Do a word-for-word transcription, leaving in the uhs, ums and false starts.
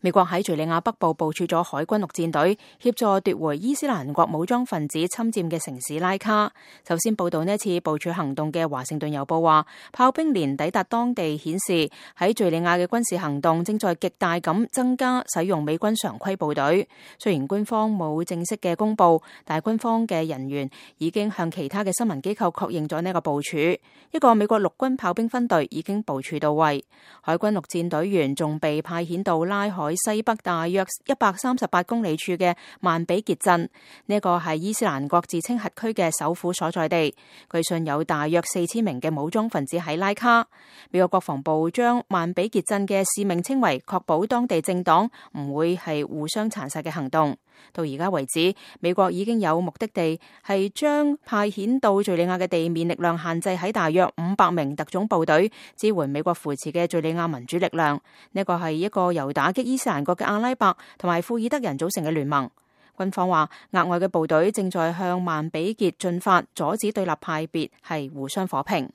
美國喺敘利亞北部部署咗海軍陸戰隊，協助奪回伊斯蘭國武裝分子侵佔嘅城市拉卡。首先報道呢次部署行動嘅華盛頓郵報話，炮兵連抵達當地，顯示喺敘利亞嘅軍事行動正在極大咁增加使用美軍常規部隊。雖然官方冇正式嘅公布，但係軍方嘅人員已經向其他嘅新聞機構確認咗呢個部署。一個美國陸軍炮兵分隊已經部署到位，海軍陸戰隊員仲被派遣到拉海西北大約一百三十八公里處嘅曼比傑鎮，呢個係伊斯蘭國自稱轄區嘅首府所在地。據信有大約四千名嘅武裝分子喺拉卡。美國國防部將曼比傑鎮嘅使命稱為確保當地政黨唔會係互相殘殺嘅行動。到而家為止，美國已經有目的地係將派遣到敘利亞嘅地面力量限制喺大約五百名特種部隊，支援美國扶持嘅敘利亞民主力量。呢個係一個由打擊伊斯蘭國嘅阿拉伯同埋庫爾德人組成嘅聯盟。軍方話，額外嘅部隊正在向曼比傑進發，阻止對立派別係互相火拼。